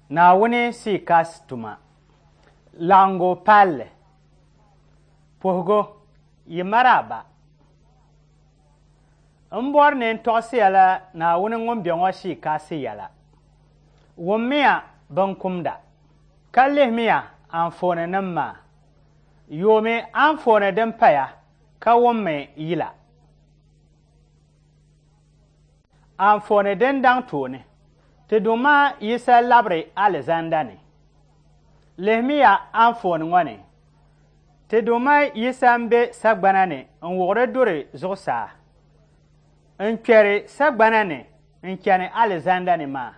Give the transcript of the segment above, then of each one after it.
Naawuni Sikas tuma. Laɣingu palli. Puhigu, yi maraaba. M bɔri ni n tɔɣisi ya la Naawuni ŋun be ŋɔ Sikasi yɛla. Wummiya binkumda, ka lihimiya anfooninima maa. Yoomi anfooni din paya ka wummi yila. Anfooni din daŋ tooni, Ti Duuma Yisa labiri alizanda ni. Lihimiya anfooni ŋɔ ni, Ti Duuma Yisa m-be sagbana ni n-wuɣiri duri zuɣusaa, n-kpɛri sagbana ni n-chani alizanda ni maa.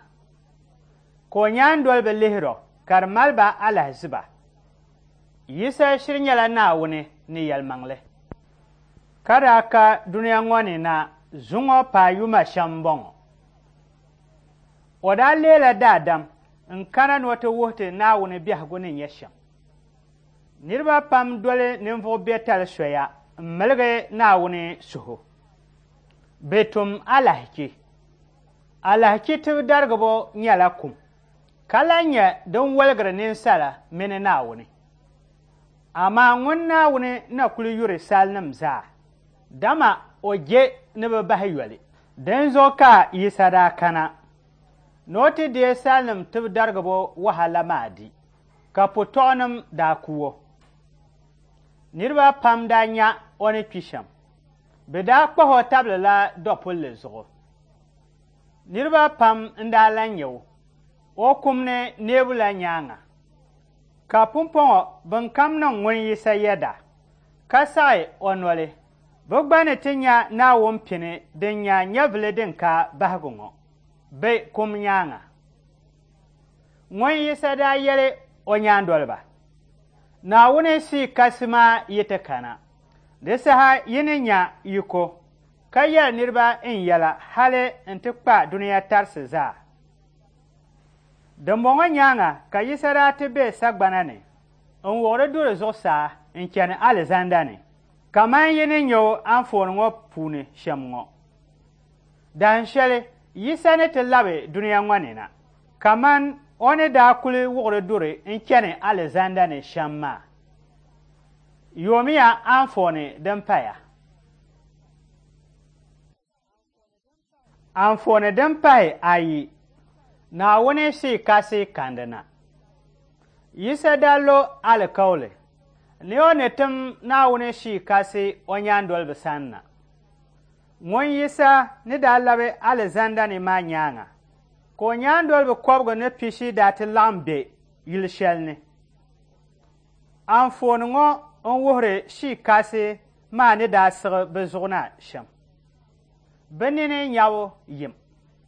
Ka o nyaandoliba lihir o ka di mali ba alahiziba. Yisa shiri nyɛla Naawuni ni yɛlimaŋli. Ka daa ka dunia ŋɔ ni na zuŋɔ paai yuma shɛm m-bɔŋɔ. O daa leela daadam n-kana ni o ti wuhi ti Naawuni biɛhigu ni nyɛ shɛm. Niriba pam doli ninvuɣ biɛtali soya m-miligi Naawuni suhu. Bɛ tum alahichi. Alahichi tibidarigibo nyɛla kum, ka lan nyɛ din woligiri ninsala mini Naawuni. Amaa ŋun Naawuni na kul yuri salinim zaa, dama o je ni bɛ bahi yoli. Dinzuɣu ka Yisa daa kana ni o ti deei salinim tibidarigibo wahala maa di, ka putɔɣunim daa ku o. Niriba pam daa nya o ni kpi shɛm. Bɛ daa kpahi o tabilila dɔpulli zuɣu. Niriba pam n-daa lan nya o o kum ni neebu la nyaaŋa. Ka pumpɔŋɔ bɛnkam niŋ ŋun Yisa yɛda, ka saɣi o noli, bɛ gba ni ti nya Naawuni pini din nya nyɛvili din ka bahigu ŋɔ bɛ kum nyaaŋa. Ŋun Yisa daa yɛli o nyaandoliba, Naawuni Shii Kasi maa yi ti kana, di saha yi ni nya yiko, ka yɛli niriba n yɛla hali nti kpa dunia tarisi zaa. Dimbɔŋɔ nyaaŋa ka Yisa daa ti be sagbana ni n-wuɣiri duri zuɣusaa n-chani alizanda ni, kaman yi ni nya o anfooni ŋɔ puuni shɛm ŋɔ. Dahin shɛli Yisa ni ti labi dunia ŋɔ ni na, kaman o ni daa kuli wuɣiri duri n-chani alizanda ni shɛm maa. Yoomiya anfooni din paya. Anfooni din pahi ayi, Naawuni Shii Kasi kandina. Yisa daa lo alikauli ni o ni tim Naawuni Shii Kasi o nyaandoliba sani na. Ŋun Yisa ni daa labi alizanda ni maa nyaaŋa, ka o nyaandoliba kɔbigu ni pishi daa ti laɣim be yili shɛli ni. Anfooni ŋɔ n-wuhiri Shii Kasi maa ni daa siɣi bɛ zuɣu na shɛm. Bɛ nini nyabu yim,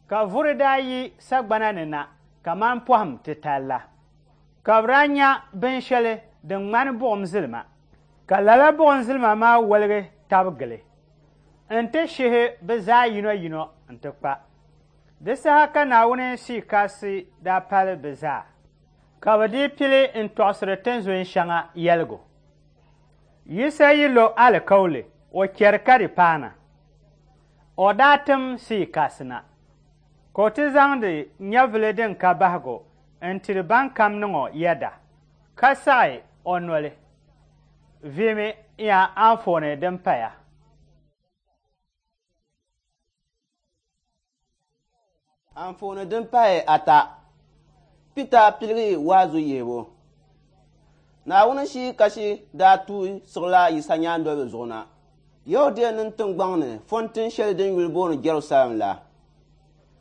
ka vuri daa yi sagbana ni na kaman pɔhim titali la, ka bɛ daa nya binshɛli din ŋmani buɣim zilima, ka lala buɣim zilima maa woligi tab gili nti shihi bɛ zaa yinoyino nti kpa. Di saha ka Naawuni Shii Kasi daa pali bɛ zaa, ka bɛ dii pili n-tɔɣisiri tinzun shɛŋa yɛligu. Yisa yi lo alikauli, o chɛri ka di paana. O daa tim Shii Kasi na, ka o ti zaŋdi nyɛvili din ka bahigu n-tiri bankam niŋ o yɛda, ka saɣi o noli. Viimi ya anfooni din paya. Anfooni din pahi ata, Pita piligi waazu yihibu. Naawuni Shii Kasi daa tuui siɣila Yisa nyaandoliba zuɣu na Yɛhudianim tiŋgbɔŋ ni fɔntin shɛli din yuli booni Jɛrusalɛm la.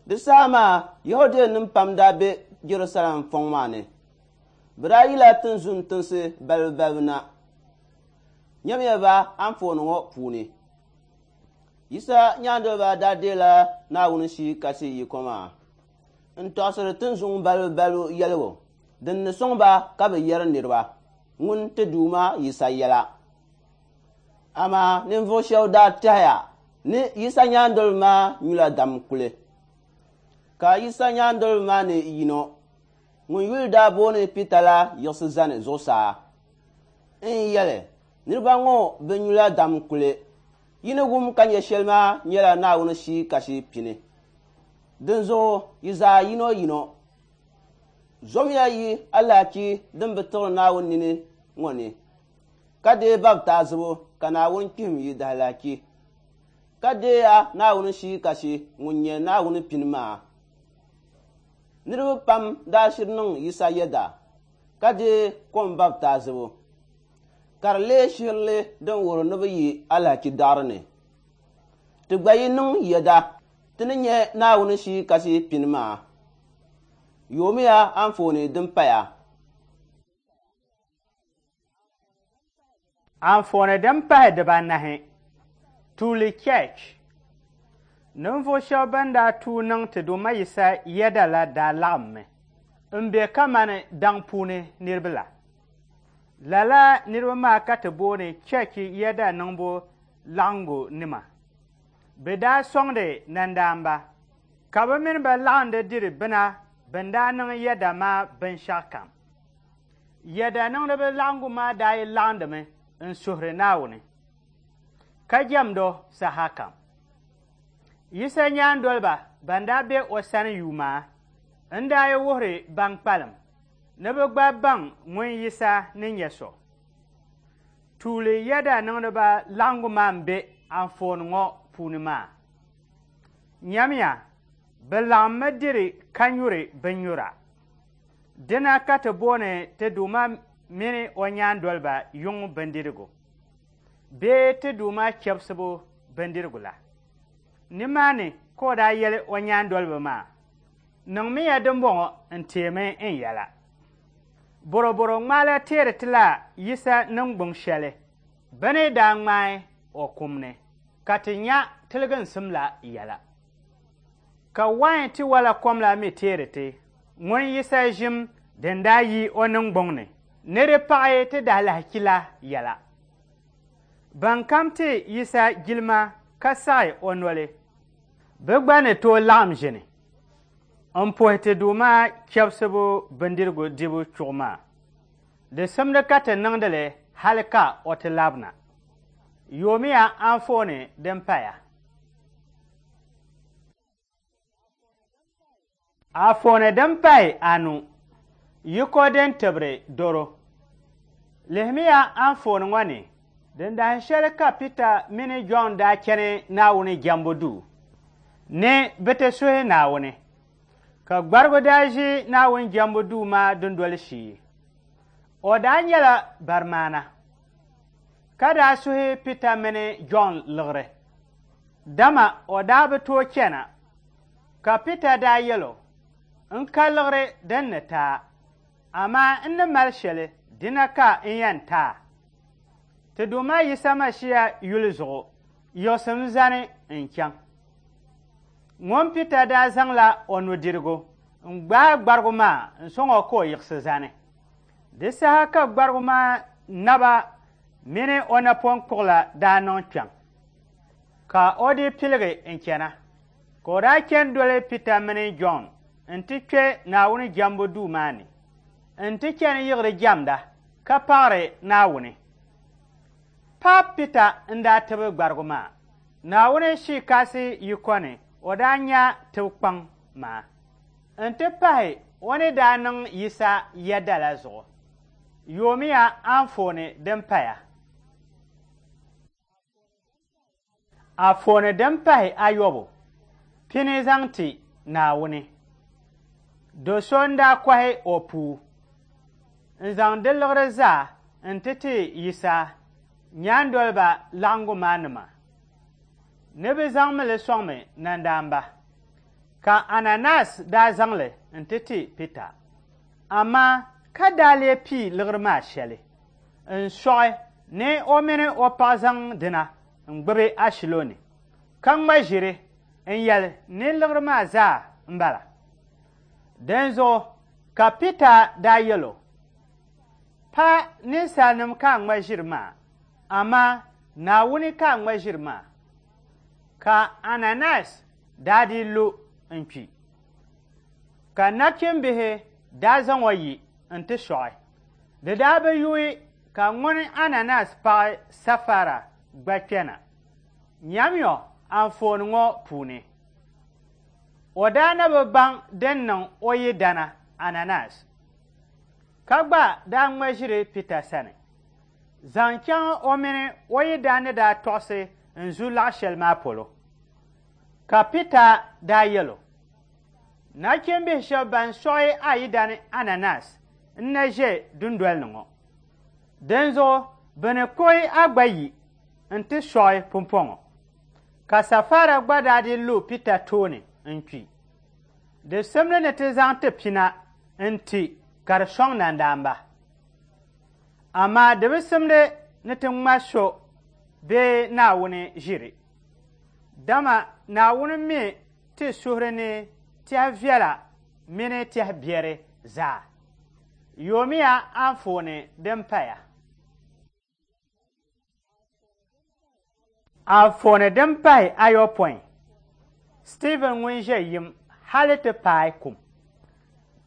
Di saha maa Yɛhudianim pam daa be Jɛrusalɛm fɔŋ maa ni. Bɛ daa yila tinzun tinsi balibu balibu na. Nyamiya ba anfooni ŋɔ puuni. Yisa nyaandoliba daa deela Naawuni Shii Kasi yiko maa n-tɔɣisiri tinzun balibu balibu yɛligu din ni sɔŋ ba ka bɛ yɛri niriba ŋun ti Duuma Yisa yɛla. Amaa ninvuɣ shɛb daa tɛhiya ni Yisa nyaandoliba maa nyula dam kuli. Ka Yisa nyaandoliba maa ni yino ŋun yuli daa booni Pita la yiɣisi zani zuɣusaa n-yɛli, Niriba ŋɔ bi nyula dam kuli. Yi ni wum ka nya shɛli maa nyɛla Naawuni Shii Kasi pini. Dinzuɣu yi zaa yinoyino. Zomiya yi alahichi din bi tiɣiri Naawuni nini ŋɔ ni, ka deei baptaizibu ka Naawuni kpihim yi daalahichi, ka deeya Naawuni Shii Kasi ŋun nyɛ Naawuni pini maa. Niriba pam daa shiri niŋ Yisa yɛda ka deei kom baptaizibu, ka di leei shihirili din wuhiri ni bɛ yi alahichi daɣiri ni. Ti gba yi niŋ yɛda, ti ni nya Naawuni Shii Kasi pini maa. Yoomiya anfooni din paya. Anfooni din pahi dibanahi, Tuuli Church. Ninvuɣ shɛba ban daa tuui niŋ ti Duuma Yisa yɛda la daa laɣimmi m-be kamani daŋ puuni niriba la. Lala niriba maa ka ti booni cheechi yɛda niŋbu laɣingu nima. Bɛ daa sɔŋdi nandaamba, ka bɛ mini ba laɣindi diri bina bɛn daa niŋ yɛda maa binshɛɣukam. Yɛda niŋdiba laɣingu maa daa yi laɣindimi n-suhiri Naawuni, ka jɛmd o sahakam. Yisa nyaandoliba ban daa be o sani yuuma n-daa yi wuhiri ban kpalim ni bɛ gba baŋ ŋun Yisa ni nyɛ so. Tuuli yɛda niŋdiba laɣingu maa m-be anfooni ŋɔ puuni maa. Nyamiya, bɛ laɣimmi diri ka nyuri binnyura. Dina ka ti booni ti Duuma mini o nyaandoliba yuŋ bindirigu bee ti Duuma chɛbisibu bindirigu la. Nimaani ka o daa yɛli o nyaandoliba maa, Niŋmiya dimbɔŋɔ n-teemi n yɛla. Bɔrɔbɔro ŋmaala teeri ti la Yisa niŋgbuŋ shɛli bɛ ni daa ŋmaai o kum ni ka ti nya tiliginsim la yɛla. Ka wain tiwala kom la mi teeri ti ŋun Yisa ʒim din daa yi o niŋgbuŋ ni ni di paɣi ti daalahichi la yɛla. Bɛnkam ti Yisa jilima ka saɣi o noli, bɛ gba ni tooi laɣim ʒini m-puhi ti Duuma chɛbisibu bindirigu dibu chuɣu maa. Di simdi ka ti niŋdi li hali ka o ti labina. Yoomiya anfooni din paya. Anfooni din pahi anu, Yiko din tibiri doro. Lihimiya anfooni ŋɔ ni, din dahin shɛli ka Pita mini Jɔn daa chani Naawuni jɛmbu duu ni bɛ ti suhi Naawuni, ka gbarigu daa ʒi Naawuni jɛmbu duu maa dundoli shee. O daa nyɛla barimaana, ka daa suhi Pita mini Jɔn liɣiri, dama o daa bi tooi chana. Ka Pita daa yɛl o, N ka liɣiri din ni ti a, amaa n ni mali shɛli dina ka n yɛn ti a. Ti Duuma Yisa Masia yuli zuɣu, yiɣisim zani n-chaŋ. Ŋun Pita daa zaŋla o nudirigu n-gbaai gbarigu maa n-sɔŋ o ka o yiɣisi zani. Di saha ka gbarigu maa naba mini o napɔŋ kpuɣila daa niŋ kpiɔŋ, ka o dii piligi n-chana. Ka o daa chani doli Pita mini Jɔn nti kpe Naawuni jɛmbu duu maa ni nti chani yiɣiri jɛmda ka paɣiri Naawuni. Pa Pita n-daa tibi gbarigu maa. Naawuni Shii Kasi yiko ni o daa nya tibikpaŋ maa nti pahi o ni daa niŋ Yisa yɛda la zuɣu. Yoomiya anfooni din paya. Anfooni din pahi ayɔbu, Pini zaŋ ti Naawuni. Do so n-daa kɔhi o puu n-zaŋ di liɣiri zaa nti ti Yisa nyaandoliba laɣiŋgu maa nima ni bɛ zaŋmi li sɔŋmi nandaamba. Ka Ananias daa zaŋ li nti ti Pita, amaa ka daa lee pii liɣiri maa shɛli n-sɔɣi ni o mini o paɣa zaŋ dina n-gbibi ashilo ni, ka ŋma ʒiri n-yɛli ni liɣiri maa zaa m-bala. Dinzuɣu ka Pita daa yɛl o, Pa ninsalinim ka a ŋma ʒiri maa, amaa Naawuni ka a ŋma ʒiri maa. Ka Ananias daa dii lu n-kpi, ka nachimbihi daa zaŋ o yi nti sɔɣi. Di daa bi yuui ka ŋuni Ananias paɣ Safara gba kpɛna. Nyamiyo anfooni ŋɔ puuni. O daa na bi baŋ din niŋ o yidana Ananias. Ka gba daa ŋma ʒiri Pita sani zaŋ chaŋ o mini o yidana ni daa tɔɣisi n-zu laɣ shɛli maa polo. Ka Pita daa yɛl o, Nachimbihi shɛb ban sɔɣi a yidana Ananias n-na ʒe dundoli ni ŋɔ. Dinzuɣu bɛ ni kpuɣi a gba yi nti sɔɣi pumpɔŋɔ. Ka Safara gba daa dii lu Pita tooni n-kpi. Di simdi ni ti zaŋ ti pina n-ti ka di sɔŋ nandaamba. Amaa di bi simdi ni ti ŋma so bee Naawuni ʒiri, dama Naawuni mi ti suhuri ni tɛhi viɛla mini tɛhi biɛri zaa. Yoomiya anfooni din paya. Anfooni din pahi ayopɔin, Stiivin ŋun ʒe yim hali ti paai kum.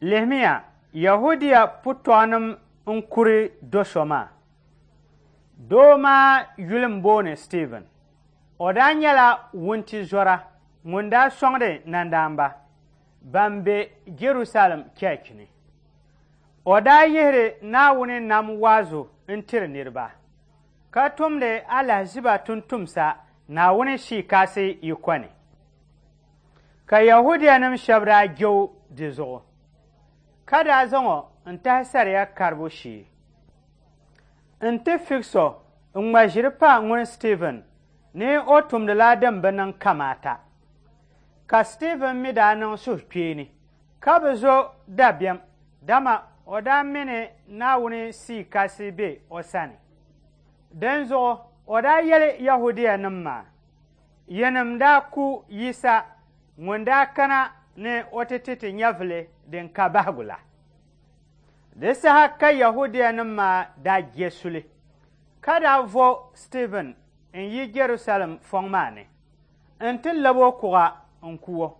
Lihimiya, Yɛhudia putɔɣunim n-kuri do so maa. Doo maa yuli m-booni Stiivin. O daa nyɛla wuntizɔra ŋun daa sɔŋdi nandaamba ban be Jɛrusalɛm cheechi ni. O daa yihiri Naawuni nam waazu n-tiri niriba, ka tumdi alahiziba tumtumsa Naawuni Shii Kasi yiko ni. Ka Yɛhudianim shɛb daa je o di zuɣu, ka daa zaŋ o n-tahi sariya karibu shee nti figs o n-ŋma ʒiri pa ŋun Stiivin ni o tumdila din bi niŋ kamaata. Ka Stiivin mi daa niŋ suhukpeeni ka bi zo dabiɛm, dama o daa mi ni Naawuni Shii Kasi be o sani. Dinzuɣu o daa yɛli Yɛhudianim maa, Yinim daa ku Yisa ŋun daa kana ni o ti ti ti nyɛvili din ka bahigu la. Di saha ka Yɛhudianim maa daa je suli, ka daa vo Stiivin n-yi Jɛrusalɛm fɔŋ maa ni nti lab o kuɣa n-ku o.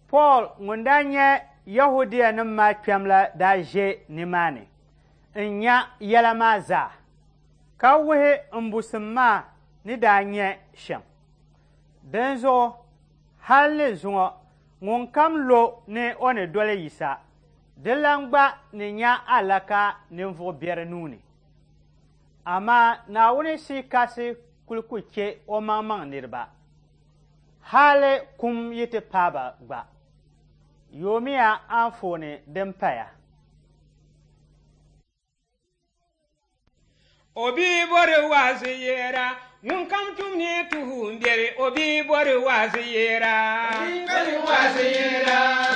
Pool ŋun daa nyɛ Yɛhudianim maa kpɛm la daa ʒe nimaani n-nya yɛla maa zaa, ka wuhi mbusim maa ni daa nyɛ shɛm. Dinzuɣu hal ni zuŋɔ ŋunkam lo ni o ni doli Yisa, di lan gba ni nya alaka ninvuɣ biɛri nuu ni. Amaa Naawuni Shii Kasi kul ku chɛ omaŋmaŋ niriba, hali kum yi ti paai ba gba. Yoomiya anfooni din paya. O bi bɔri waazu yɛra, ŋunkam tum ni tuhi m-biɛri, o bi bɔri waazu yɛra.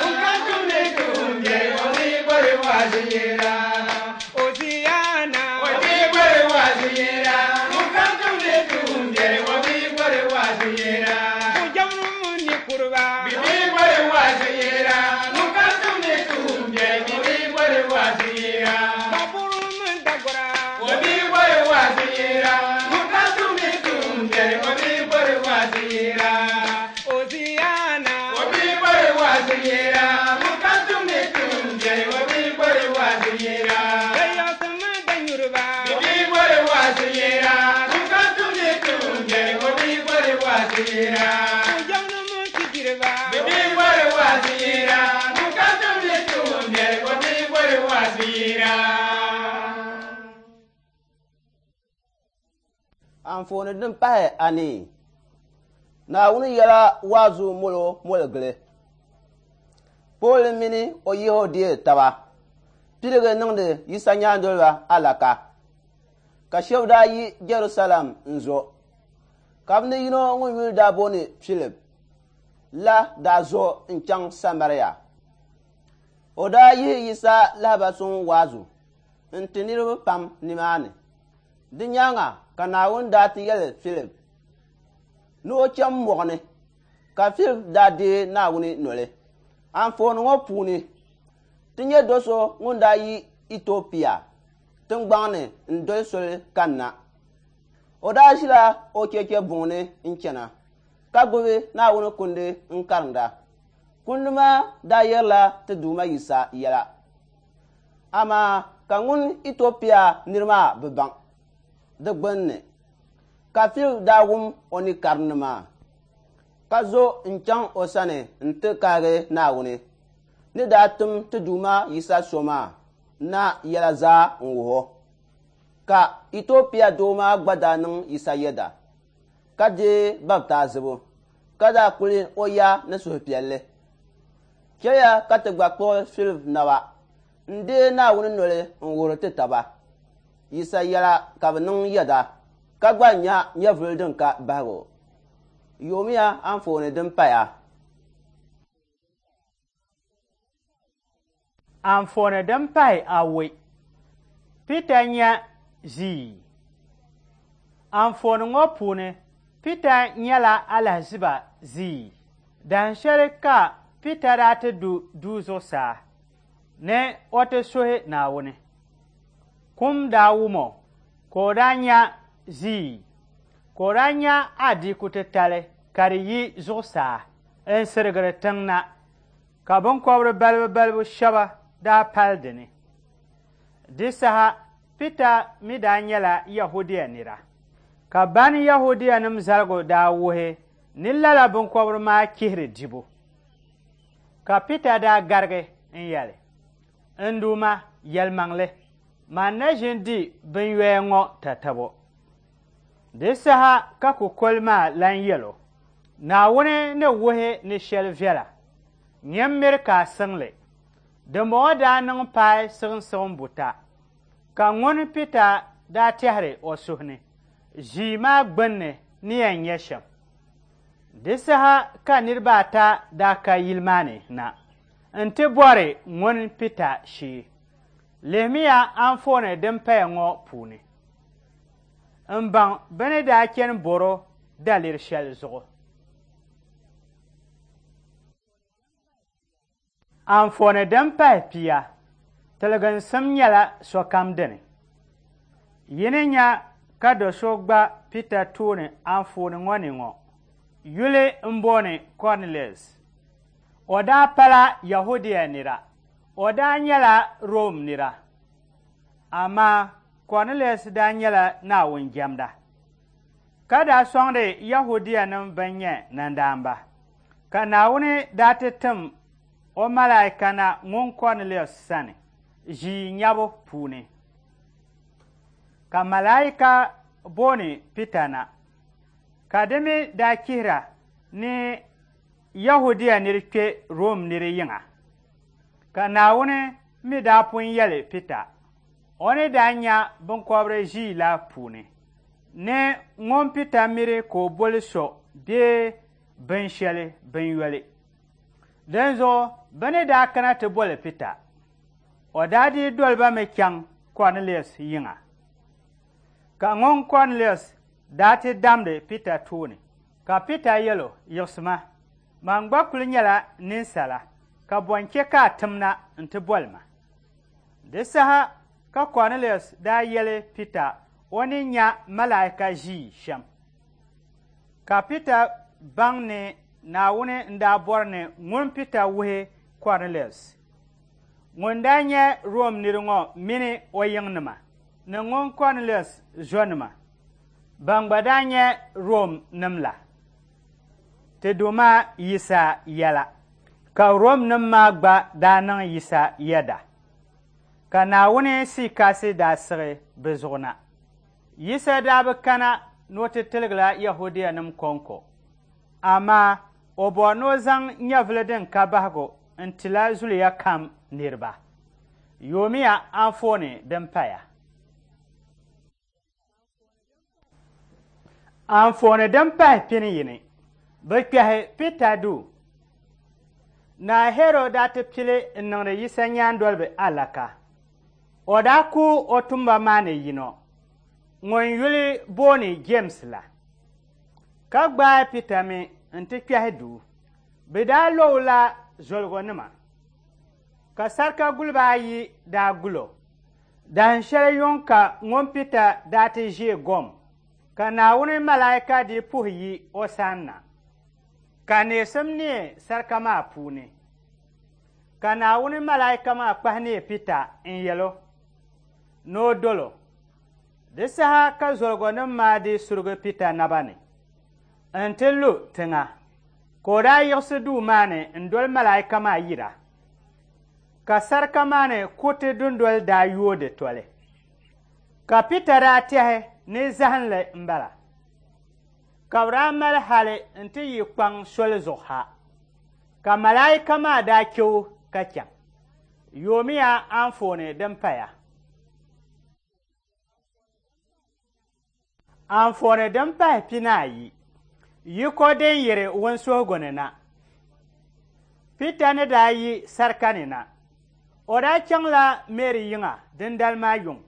Ŋunkam tum ni tuhi m-biɛri, o bi bɔri waazu yɛra. Hosiana. O bi bɔri waazu yɛra, ŋunkam tum ni tuhi m-biɛri, o bi bɔri waazu yɛra. Bujamnim ni kuriba. Bi bi bɔri waazu yɛra, ŋunkam tum ni tuhi m-biɛri, o bi bɔri waazu yɛra. Baburu mini dagora. O bi bɔri waazu yɛra, ŋunkam tum ni tuhi m-biɛri, o bi bɔri waazu yɛra. Hosiana. O bi bɔri waazu yɛra, ŋunkam tum ni tuhi m-biɛri, o bi bɔri waazu yɛra. Dayɔsi mini danyuriba. Bi bi bɔri waazu yɛra, ŋunkam tum ni tuhi m-biɛri, o bi bɔri waazu yɛra. Bujamnim mini tijiriba. Bi bi bɔri waazu yɛra, ŋunkam tum ni tuhi m-biɛri, o bi bɔri waazu yɛra. Anfooni din pahi anii, Naawuni yɛla waazu molo moli gili. Pool mini o Yɛhudia taba piligi niŋdi Yisa nyaandoliba alaka, ka shɛba daa yi Jɛrusalɛm n-zo, ka bɛ ni yino ŋun yuli daa booni Filip la daa zo n-chaŋ Samaria. O daa yihi Yisa lahiba suŋ waazu n-ti niriba pam nimaani. Di nyaaŋa ka Naawuni daa ti yɛli Filip ni o cham mɔɣu ni, ka Filip daa deei Naawuni noli. Anfooni ŋɔ puuni, ti nya do so ŋun daa yi Itiɔpia tiŋgbaŋ ni n-doli soli kanna. O daa ʒila o cheche buŋ ni n-chana, ka gbubi Naawuni kundi n-karinda. Kundi maa daa yɛrila ti Duuma Yisa yɛla. Amaa ka ŋun Itiɔpia nir maa bi baŋ di gbunni. Ka Filip daa wum o ni karindi maa, ka zo n-chaŋ o sani nti kahigi Naawuni ni daa tim ti Duuma Yisa so maa. na yɛla zaa n-wuh o. Ka Itiopia doo maa gba daa niŋ Yisa yɛda, ka deei baptaizibu, ka daa kuli o ya ni suhupiɛlli. Chɛliya ka ti gba kpuɣi Filip naba n-deei Naawuni noli n-wuhiri ti taba Yisa yɛla ka bɛ niŋ yɛda, ka gba nya nyɛvili din ka bahigu. Yoomiya anfooni din paya. Anfooni din pahi awoi. Pita nya ʒii. Anfooni ŋɔ puuni, Pita nyɛla alahiziba ʒii. Dahin shɛli ka Pita daa ti du duu zuɣusaa ni o ti suhi Naawuni. Kum daa wum o ka o daa nya ʒii, ka o daa nya adiiku titali ka di yi zuɣusaa n-sirigiri tiŋ na. Ka biŋkɔbiri balibu balibu shɛba daa pali di ni. Di saha Pita mi daa nyɛla Yɛhudia nira, ka ban Yɛhudianim zaligu daa wuhi ni lala biŋkɔbiri maa chihiri dibu. Ka Pita daa garigi n-yɛli, N Duuma, yɛlimaŋli, man na ʒin di binyoya ŋɔ tatabo. Di saha ka kukoli maa lan yɛl o, Naawuni ni wuhi ni shɛli viɛla, nyin miri ka a siŋ li. Dimbɔŋɔ daa niŋ paai siɣimsiɣim buta, ka ŋun Pita daa tɛhiri o suhu ni, ʒii maa gbinni ni yɛn nyɛ shɛm. Di saha ka niriba ata daa ka yili maa ni na nti bɔri ŋun Pita shee. Lihimiya anfooni din paya ŋɔ puuni m-baŋ bɛ ni daa chani bɔr o daliri shɛli zuɣu. Anfooni din pahi pia, Tiliginsim nyɛla sokam dini. Yi ni nya ka do so gba Pita tooni anfooni ŋɔ ni ŋɔ, yuli m-booni Kɔrinelius. O daa pala Yɛhudia nira, o daa nyɛla Rom nira. Amaa Kɔrinelius daa nyɛla Naawuni jɛmda, ka daa sɔŋdi Yɛhudianim bɛn nyɛ nandaamba. Ka Naawuni daa ti tim o malaika na ŋun Kɔrinelius sani ʒii nyabu puuni. Ka malaika booni Pita na, ka di mi daa chihira ni Yɛhudia nir kpe Rom nir yiŋa. Ka Naawuni mi daa pun yɛli Pita, o ni daa nya biŋkɔbiri ʒii la puuni, ni ŋun Pita miri ka o boli so bee binshɛli binyoli. Dinzuɣu bɛ ni daa kana ti boli Pita, o daa dii doli ba mi chaŋ Kɔrinelius yiŋa. Ka ŋun Kɔrinelius daa ti damdi Pita tooni, ka Pita yɛl o, Yiɣisima, man gba kul nyɛla ninsala, ka bɔ n-chɛ ka a tim na nti boli ma? Di saha ka Kɔrinelius daa yɛli Pita o ni nya malaika ʒii shɛm. Ka Pita baŋ ni Naawuni n-daa bɔri ni ŋun Pita wuhi Kɔrinelius ŋun daa nyɛ Rom nir ŋɔ mini o yiŋnima ni ŋun Kɔrinelius zɔnima ban gba daa nyɛ Rom nim la ti Duuma Yisa yɛla, ka Rom nim maa gba daa niŋ Yisa yɛda, ka Naawuni Sii daa siɣi bɛ zuɣu na. Yisa daa bi kana ni o ti tiligila Yɛhudianim kɔŋko, amaa o bɔri ni o zaŋ nyɛvili din ka bahigu n-tila zuliya kam niriba. Yoomiya anfooni din paya. Anfooni din pahi pini yini, bɛ kpɛhi Pita duu. Naa Hɛrɔd daa ti pili n-niŋdi Yisa nyaandoliba alaka. O daa ku o tuumba maa ni yino, ŋun yuli booni Jems la, ka gbaai Pita mi nti kpɛhi duu. Bɛ daa lo o la zoligonima, ka sarika guliba ayi daa gul o. Dahin shɛli yuŋ ka ŋun Pita daa ti ʒe gom, ka Naawuni malaika dii puhi yi o sanna, ka neesim neei sarika maa puuni. Ka Naawuni malaika maa kpahi neei Pita n-yɛl o ni o dol o. Di saha ka zoligonim maa dii surigi Pita naba ni nti lu tiŋa, ka o daa yiɣisi duu maa ni n-doli malaika maa yira. Ka sarika maa ni kuriti dundoli daa yooi di toli. Ka Pita daa tɛhi ni zahinli m-bala. Ka bɛ daa mali hali nti yi kpaŋ soli zuɣu ha, ka malaika maa daa chɛ o ka chaŋ. Yoomiya anfooni din paya. Anfooni din pahi 40, yiko din yiri wunsuhigu ni na. Pita ni daa yi sarika ni na, o daa chaŋla Meri yiŋa dindali maa yuŋ.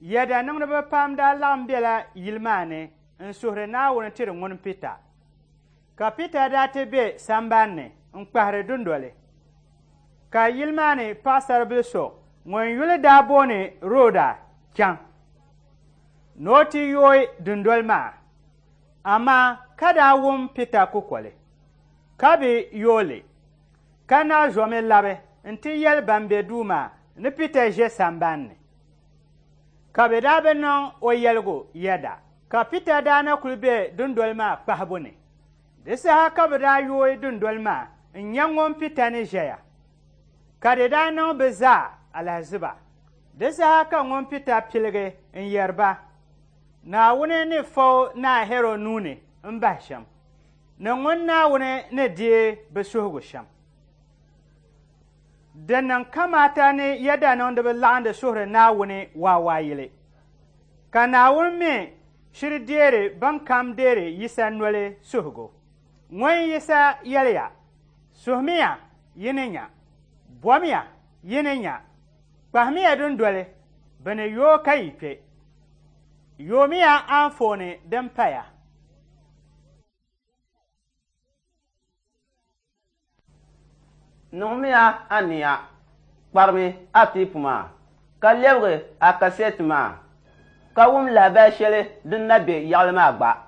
Yɛda niŋdiba pam daa laɣim bela yili maa ni n-suhiri Naawuni tiri ŋun Pita. Ka Pita daa ti be sambani ni n-kpahiri dundoli. Ka yili maa ni paɣisaribila so ŋun yuli daa booni Roda chaŋ ni o ti yooi dundoli maa, amaa ka daa wum Pita kukoli, ka bi yooi li, ka na zomi labi nti yɛli ban be duu maa ni Pita ʒe sambani ni. Ka bɛ daa bi niŋ o yɛligu yɛda. Ka Pita daa na kuli be dundoli maa kpahibu ni. Di saha ka bɛ daa yooi dundoli maa n-nya ŋun Pita ni ʒɛya, ka di daa niŋ bɛ zaa alahiziba. Di saha ka ŋun Pita piligi n-yɛri ba, Naawuni ni fa o Naa Hɛrɔd nuu ni m-bahi shɛm, ni ŋun Naawuni ni deei bɛ suhigu shɛm. Di niŋ kamaata ni yɛdaniŋdiba laɣindi suhiri Naawuni waawaayili, ka Naawuni mi shiri deeri bɛnkam deeri Yisa noli suhigu. Ŋun Yisa yɛliya, Suhimiya, yi ni nya. Bomiya, yi ni nya. Kpahimiya dundoli, bɛ ni yooi ka yi kpe. Yoomiya anfooni din paya. Niŋmiya ania, kparimi a teepu maa, ka lɛbigi a kasɛti maa, ka wum lahabali shɛli din na be yaɣili maa gba.